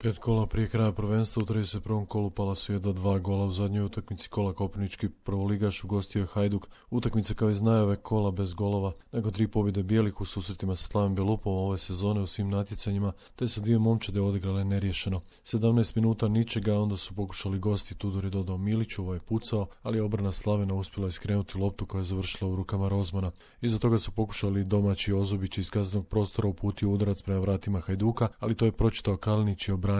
5 kola prije kraja prvenstva u 31. kolu pala su jedva 2 gola u zadnjoj utakmici kola. Koprivnički prvoligaš ugostio je Hajduk. Utakmica kao iz najave kola bez golova. Nakon 3 pobjede bijelih u susretima sa Slavim Belupom ove sezone u svim natjecanjima, te su dvije momčade odigrale neriješeno. 17 minuta ničega, onda su pokušali gosti. Tudor je dodao Miliću, ovaj je pucao, ali je obrana Slavina uspjela iskrenuti loptu koja je završila u rukama Rozmana. Iza toga su pokušali domaći Ozobić iz kaznenog prostora uputio udarac prema vratima Hajduka, ali to je pročitao Kalinić i obranio.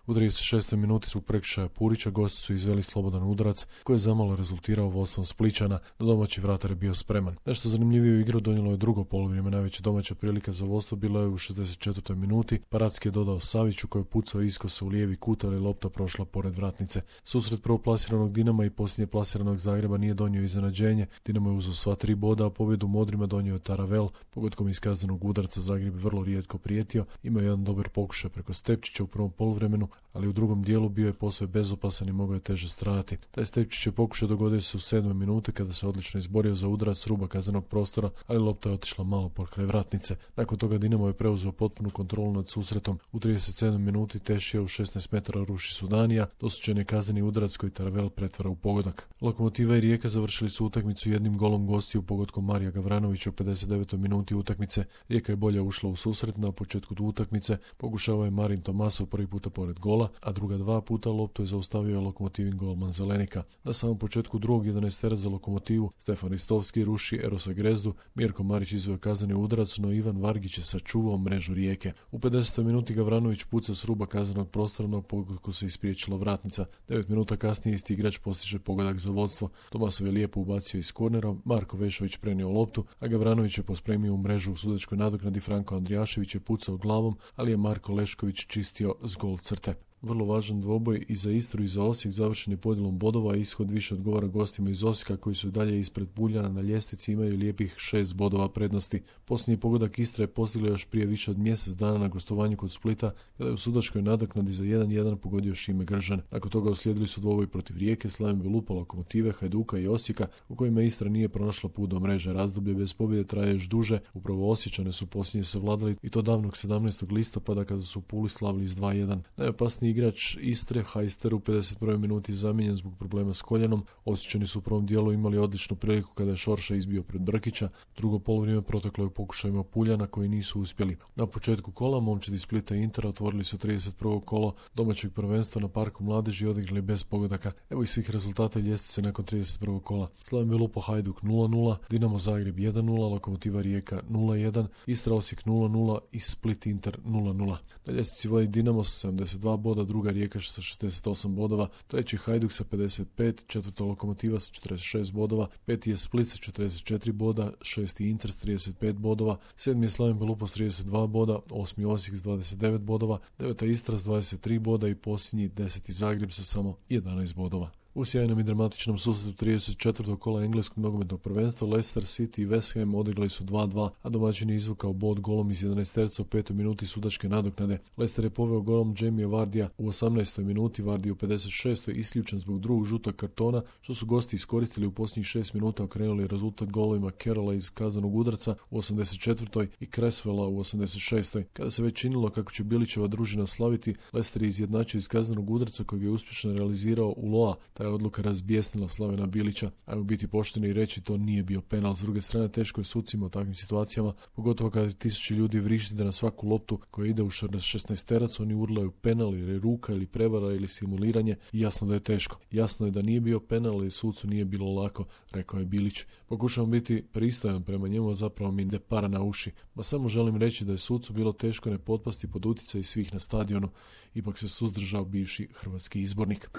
U 36. minuti su prekršaja Purića gosti su izveli slobodan udarac koji je zamalo rezultirao vodstvom Splićana, no domaći vratar je bio spreman. Nešto zanimljiviju igru donijelo je drugo poluvrijeme. Najveća domaća prilika za vodstvo bila je u 64. minuti. Paradski je dodao Saviću koji je pucao iskosa u lijevi kut, ali lopta prošla pored vratnice. Susret prvoplasiranog Dinama i posljednje plasiranog Zagreba nije donio iznenađenje. Dinamo je uzeo sva 3 boda, a pobjedu Modrima donio je Taravel. Pogodkom iz kaznenog udarca Zagreb je vrlo rijetko prijetio. Imao jedan dobar pokušaj preko Stepčića u prvom poluvremenu, ali u drugom dijelu bio je posve bezopasan i mogao je teže stradati. Taj Stepčić je pokušaj dogodio se u 7. minuti kada se odlično izborio za udarac s ruba kaznenog prostora, ali lopta je otišla malo pokraj vratnice. Nakon toga Dinamo je preuzeo potpunu kontrolu nad susretom. U 37. minuti Tešija u 16 metara ruši Sudanija, dosuđen je kazneni udarac koji Taravel pretvara u pogodak. Lokomotiva i Rijeka završili su utakmicu jednim golom gostiju pogodkom Marija Gavranovića u 59. minuti utakmice. Rijeka je bolje ušla u susret. Na početku utakmice pokušavao je Marin Tomasov prvi puta pored gola, a druga 2 puta loptu je zaustavio Lokomotivin golman Zelenika. Na samom početku drugog 11 za Lokomotivu Stefan Ristovski ruši Erosa Grezdu, Mirko Marić izveo kazneni udarac, no Ivan Vargić je sačuvao mrežu Rijeke. U 50. minuti Gavranović puca s ruba kaznenog prostora, no pogodku se ispriječila vratnica. 9 minuta kasnije isti igrač postiže pogodak za vodstvo. Tomasov je lijepo ubacio iz kornera, Marko Vešović prenio loptu, a Gavranović je pospremio u mrežu u sudačkoj nadoknadi. Franko Andrijašević je pucao glavom, ali je Marko Lešković čistio s gol crte. Vrlo važan dvoboj i za Istru i za Osijek završen je podjelom bodova, a ishod više odgovara gostima iz Osijeka koji su dalje ispred Buljana na ljestvici, imaju lijepih 6 bodova prednosti. Posljednji pogodak Istre je postigla još prije više od mjesec dana na gostovanju kod Splita, kada je u sudačkoj nadoknadi za 1-1 pogodio Šime Gržan. Nakon toga uslijedili su dvoboj protiv Rijeke, Slavim Belupa, Lokomotive, Hajduka i Osijeka, u kojima Istra nije pronašla put do mreže. Razdoblje bez pobjede traje još duže. Upravo Osječane su posljednje savladali i to davnog 17. listopada kada su u Puli slavili s 2-1. Najopasniji igrač Istre, Hajster, u 51. minuti zamijenjen zbog problema s koljenom. Osjećani su u prvom dijelu imali odličnu priliku kada je Šorša izbio pred Brkića. Drugo polovrijeme proteklo je u pokušajima Puljana koji nisu uspjeli. Na početku kola momčadi Splita i Intera otvorili su 31. kolo domaćeg prvenstva na Parku mladeži i odigrali bez pogodaka. Evo i svih rezultata ljestvice nakon 31. kola. Slavim Belupo Hajduk 0-0, Dinamo Zagreb 1-0, Lokomotiva Rijeka 0-1, Istra Osijek 0-0 i Split Inter 0-0. Na ljestvici vodi Dinamo sa 72 boda, druga Rijeka sa 68 bodova, treći Hajduk sa 55, četvrta Lokomotiva sa 46 bodova, peti je Split sa 44 boda, šesti Inter s 35 bodova, sedmi je Slavim Belupo s 32 boda, osmi Osijek s 29 bodova, deveta Istra s 23 boda i posljednji 10. Zagreb sa samo 11 bodova. U sjajnom i dramatičnom susretu 34. kola engleskog nogometnog prvenstva Leicester City i West Ham odigrali su 2-2, a domaćin je izvukao bod golom iz 11 terca u 5. minuti sudačke nadoknade. Leicester je poveo golom Jamie Vardija u 18. minuti, Vardy u 56. isključen zbog drugog žutog kartona, što su gosti iskoristili u posljednjih 6 minuta, okrenuli rezultat golovima Carrolla iz kaznenog udarca u 84. i Cresswella u 86. Kada se već činilo kako će Bilićeva družina slaviti, Leicester je izjednačio iz kaznenog udarca kojeg je uspješno realizirao u Loa. Ta je odluka razbijesnila Slavena Bilića. Ajmo biti pošteni i reći, to nije bio penal. S druge strane, teško je sucima u takvim situacijama, pogotovo kada tisući ljudi vrišti da na svaku loptu koja ide u 16 terac oni urlaju penal jer je ruka ili prevara ili simuliranje i jasno da je teško. Jasno je da nije bio penal i sucu nije bilo lako, rekao je Bilić. Pokušavam biti pristojan prema njemu, a zapravo mi ide para na uši. Ma samo želim reći da je sucu bilo teško ne potpasti pod utjecaj svih na stadionu. Ipak se suzdržao bivši hrvatski izbornik.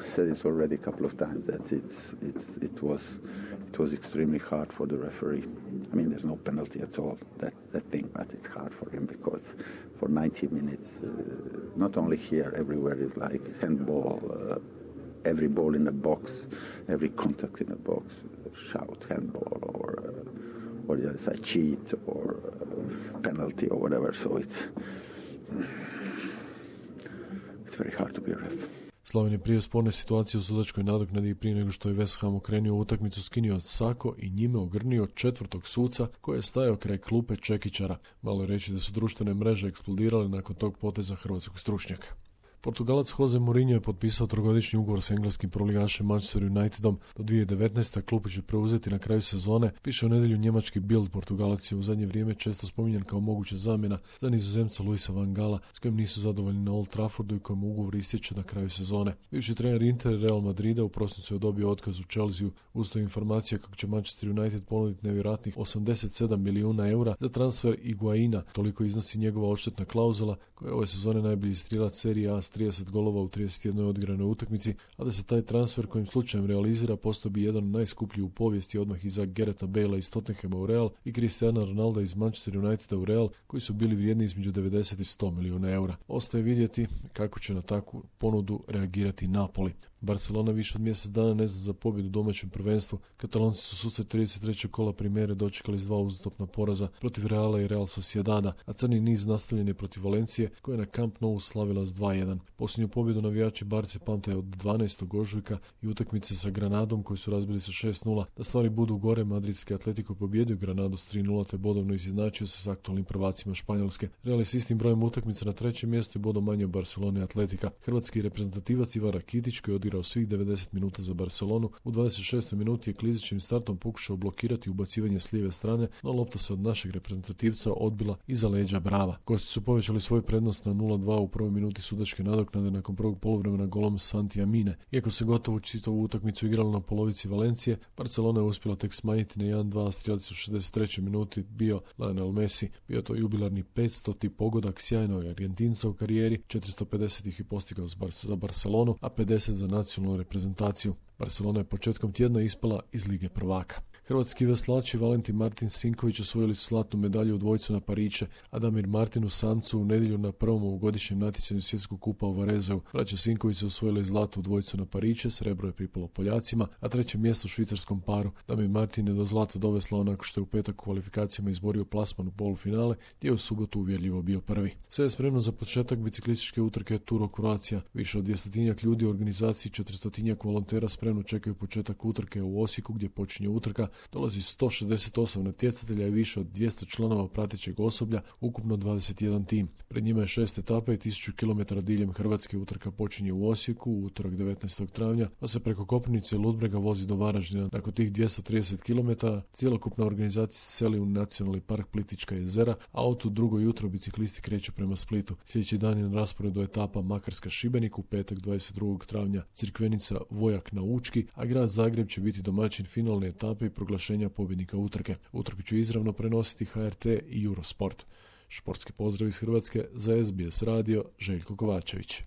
Times that it was extremely hard for the referee. I mean, there's no penalty at all, that thing, but it's hard for him because for 90 minutes, not only here, everywhere is like handball, every ball in a box, every contact in a box, shout handball or the other side cheat or penalty or whatever. So it's very hard to be a ref. Slaven je prije sporne situacije u sudačkoj nadoknadi i prije nego što je West Ham okrenio utakmicu skinio sako i njime ogrnio četvrtog suca koji je stajao kraj klupe Čekićara. Malo je reći da su društvene mreže eksplodirale nakon tog poteza hrvatskog stručnjaka. Portugalac Jose Mourinho je potpisao trogodišnji ugovor s engleskim prvoligašem Manchester Unitedom do 2019. Klub će preuzeti na kraju sezone, piše u nedjelju njemački Bild. Portugalac je u zadnje vrijeme često spominjan kao moguća zamjena za Nizozemca Luisa van Gaala, s kojim nisu zadovoljni na Old Traffordu i kojem ugovor istječe na kraju sezone. Bivši trener Inter i Real Madrida u prosincu je dobio otkaz u Chelsea. Usto informacija kako će Manchester United ponuditi nevjerojatnih 87 milijuna eura za transfer Higuaina. Toliko iznosi njegova odštetna klauzula, koja je ove sezone najbolji strilac Serije A s 30 golova u 31 odigranoj utakmici, a da se taj transfer kojim slučajem realizira postao bi jedan od najskupljih u povijesti odmah iza Garretha Balea iz Tottenhama u Real i Cristiana Ronalda iz Manchester Uniteda u Real, koji su bili vrijedni između 90 i 100 milijuna eura. Ostaje vidjeti kako će na takvu ponudu reagirati Napoli. Barcelona više od mjesec dana ne zna za pobjedu u domaćem prvenstvu. Katalonci su susret 33. kola Primere dočekali s 2 uzastopna poraza protiv Reala i Real Sociedada, a crni niz nastavljen je protiv Valencije, koja je na Camp Nou slavila s 2-1. Posljednju pobjedu navijači Barce pamte od 12. ožujka i utakmice sa Granadom koji su razbili sa 6-0. Da stvari budu gore, madridski Atletico pobjedio Granadu s 3-0 te bodovno izjednačio se s aktualnim prvacima Španjolske. Real je s istim brojem utakmica na trećem mjestu i bodom manje od Barcelone i Atletika. Hrvatski reprezentativac Ivan Rakitić, koji je odigrao svih 90 minuta za Barcelonu, u 26. minuti je klizičnim startom pokušao blokirati ubacivanje s lijeve strane, no lopta se od našeg reprezentativca odbila iza leđa Brava. Gosti su povećali svoju prednost na 0-2 u prvoj minuti sudačke nadoknade nakon prvog poluvremena golom Santi Amine. Iako se gotovo čitavu utakmicu igralo na polovici Valencije, Barcelona je uspjela tek smanjiti na 1-2, strelac u 63. minuti bio Lionel Messi. Bio to jubilarni 500. pogodak sjajnog Argentinca u karijeri, 450 ih je postigao za Barcelonu, a 50 za nacionalnu reprezentaciju. Barcelona je početkom tjedna ispala iz Lige prvaka. Hrvatski veslači Valentin Martin Sinković osvojili su zlatnu medalju u dvojcu na Pariće, a Damir Martin u samcu u nedjelju na prvom ovogodišnjem natjecanju svjetskog kupa u Varezeu. Braća Sinković su osvojili zlatu u dvojcu na Pariće, srebro je pripalo Poljacima, a treće mjesto u švicarskom paru. Damir Martin je do zlata doveslao nakon što je u petak u kvalifikacijama izborio plasman u polufinale, gdje je u subotu uvjerljivo bio prvi. Sve je spremno za početak biciklističke utrke Tour Croatia. Više od 200 ljudi u organizaciji 400 volontera spremno čekaju početak utrke u Osijeku, gdje počinje utrka. Dolazi 168 natjecatelja i više od 200 članova pratećeg osoblja, ukupno 21 tim. Pred njima je 6 etapa i 1000 km diljem Hrvatske. Utrka počinje u Osijeku u utorak 19. travnja, pa se preko Koprivnice i Ludbrega vozi do Varaždina. Nakon tih 230 km cjelokupna organizacija se seli u Nacionalni park Plitvička jezera, a od tu drugo jutro biciklisti kreću prema Splitu. Sljedeći dan je na rasporedu etapa Makarska Šibenik, u petak 22. travnja Crikvenica Vojak na Učki, a grad Zagreb će biti domaćin finalne etape i proglašenja pobjednika utrke. Utrku će izravno prenositi HRT i Eurosport. Športski pozdrav iz Hrvatske za SBS radio, Željko Kovačević.